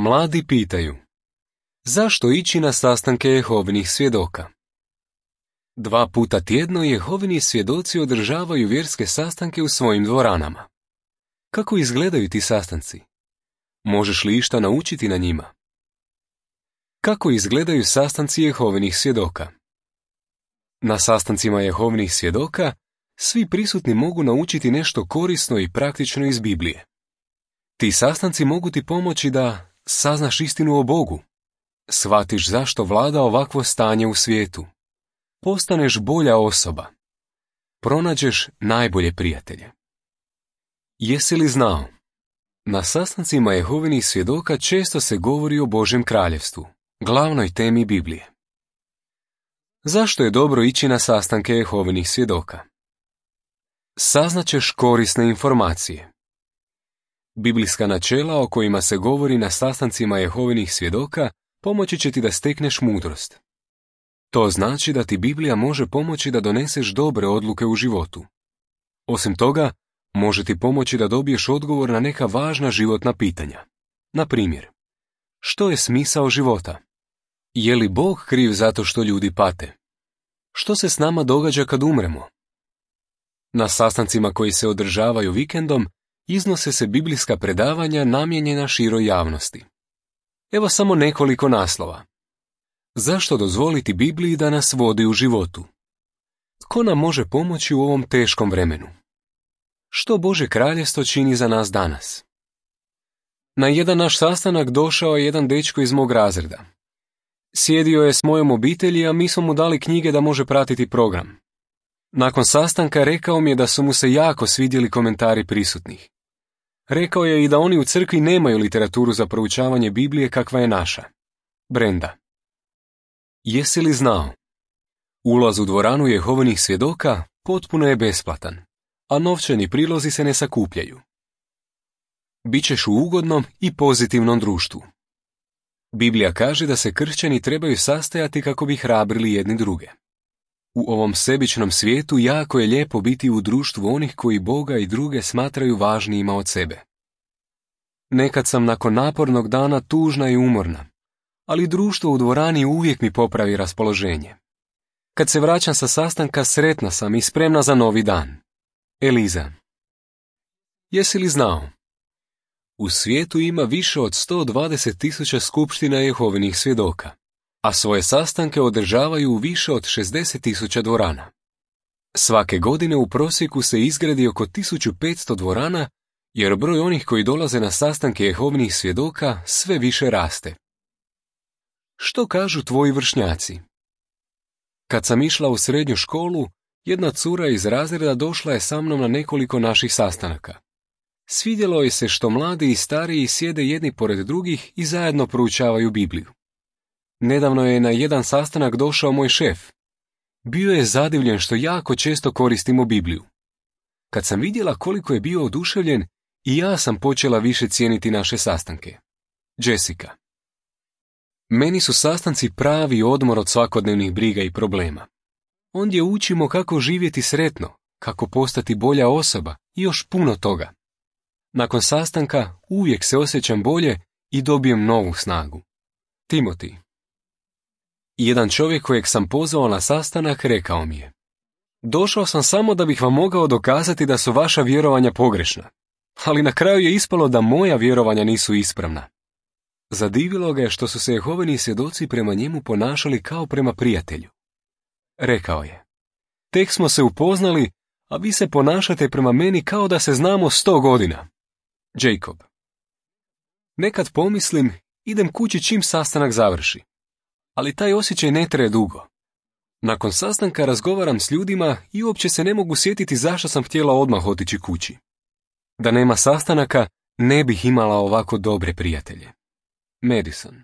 Mladi pitaju: zašto ići na sastanke Jehovinih svjedoka? 2 puta tjedno Jehovini svjedoci održavaju vjerske sastanke u svojim dvoranama. Kako izgledaju ti sastanci? Možeš li išta naučiti na njima? Kako izgledaju sastanci Jehovinih svjedoka? Na sastancima Jehovinih svjedoka svi prisutni mogu naučiti nešto korisno i praktično iz Biblije. Ti sastanci mogu ti pomoći da saznaš istinu o Bogu, shvatiš zašto vlada ovakvo stanje u svijetu, postaneš bolja osoba, pronađeš najbolje prijatelje. Jesi li znao? Na sastancima Jehovinih svjedoka često se govori o Božjem kraljevstvu, glavnoj temi Biblije. Zašto je dobro ići na sastanke Jehovinih svjedoka? Saznaćeš korisne informacije. Biblijska načela o kojima se govori na sastancima Jehovinih svjedoka pomoći će ti da stekneš mudrost. To znači da ti Biblija može pomoći da doneseš dobre odluke u životu. Osim toga, može ti pomoći da dobiješ odgovor na neka važna životna pitanja. Na primjer, što je smisao života? Je li Bog kriv zato što ljudi pate? Što se s nama događa kad umremo? Na sastancima koji se održavaju vikendom iznose se biblijska predavanja namijenjena široj javnosti. Evo samo nekoliko naslova. Zašto dozvoliti Bibliji da nas vodi u životu? Tko nam može pomoći u ovom teškom vremenu? Što Bože kraljevstvo čini za nas danas? Na jedan naš sastanak došao je jedan dečko iz mog razreda. Sjedio je s mojom obitelji, a mi smo mu dali knjige da može pratiti program. Nakon sastanka rekao mi je da su mu se jako svidjeli komentari prisutnih. Rekao je i da oni u crkvi nemaju literaturu za proučavanje Biblije kakva je naša. Brenda. Jesi li znao? Ulaz u dvoranu Jehovinih svjedoka potpuno je besplatan, a novčani prilozi se ne sakupljaju. Bićeš u ugodnom i pozitivnom društvu. Biblija kaže da se kršćani trebaju sastajati kako bi hrabrili jedni druge. U ovom sebičnom svijetu jako je lijepo biti u društvu onih koji Boga i druge smatraju važnijima od sebe. Nekad sam nakon napornog dana tužna i umorna, ali društvo u dvorani uvijek mi popravi raspoloženje. Kad se vraćam sa sastanka, sretna sam i spremna za novi dan. Eliza. Jesi li znao? U svijetu ima više od 120.000 skupština Jehovinih svjedoka, a svoje sastanke održavaju u više od 60.000 dvorana. Svake godine u prosjeku se izgradi oko 1500 dvorana, jer broj onih koji dolaze na sastanke Jehovinih svjedoka sve više raste. Što kažu tvoji vršnjaci? Kad sam išla u srednju školu, jedna cura iz razreda došla je sa mnom na nekoliko naših sastanaka. Svidjelo je se što mladi i stariji sjede jedni pored drugih i zajedno proučavaju Bibliju. Nedavno je na jedan sastanak došao moj šef. Bio je zadivljen što jako često koristimo Bibliju. Kad sam vidjela koliko je bio oduševljen, i ja sam počela više cijeniti naše sastanke. Jessica. Meni su sastanci pravi odmor od svakodnevnih briga i problema. Ondje učimo kako živjeti sretno, kako postati bolja osoba i još puno toga. Nakon sastanka uvijek se osjećam bolje i dobijem novu snagu. Timothy. Jedan čovjek kojeg sam pozvao na sastanak rekao mi je: došao sam samo da bih vam mogao dokazati da su vaša vjerovanja pogrešna, ali na kraju je ispalo da moja vjerovanja nisu ispravna. Zadivilo ga je što su se Jehovini svjedoci prema njemu ponašali kao prema prijatelju. Rekao je: tek smo se upoznali, a vi se ponašate prema meni kao da se znamo 100 godina. Jacob. Nekad pomislim, idem kući čim sastanak završi. Ali taj osjećaj ne traje dugo. Nakon sastanka razgovaram s ljudima i uopće se ne mogu sjetiti zašto sam htjela odmah otići kući. Da nema sastanaka, ne bih imala ovako dobre prijatelje. Madison.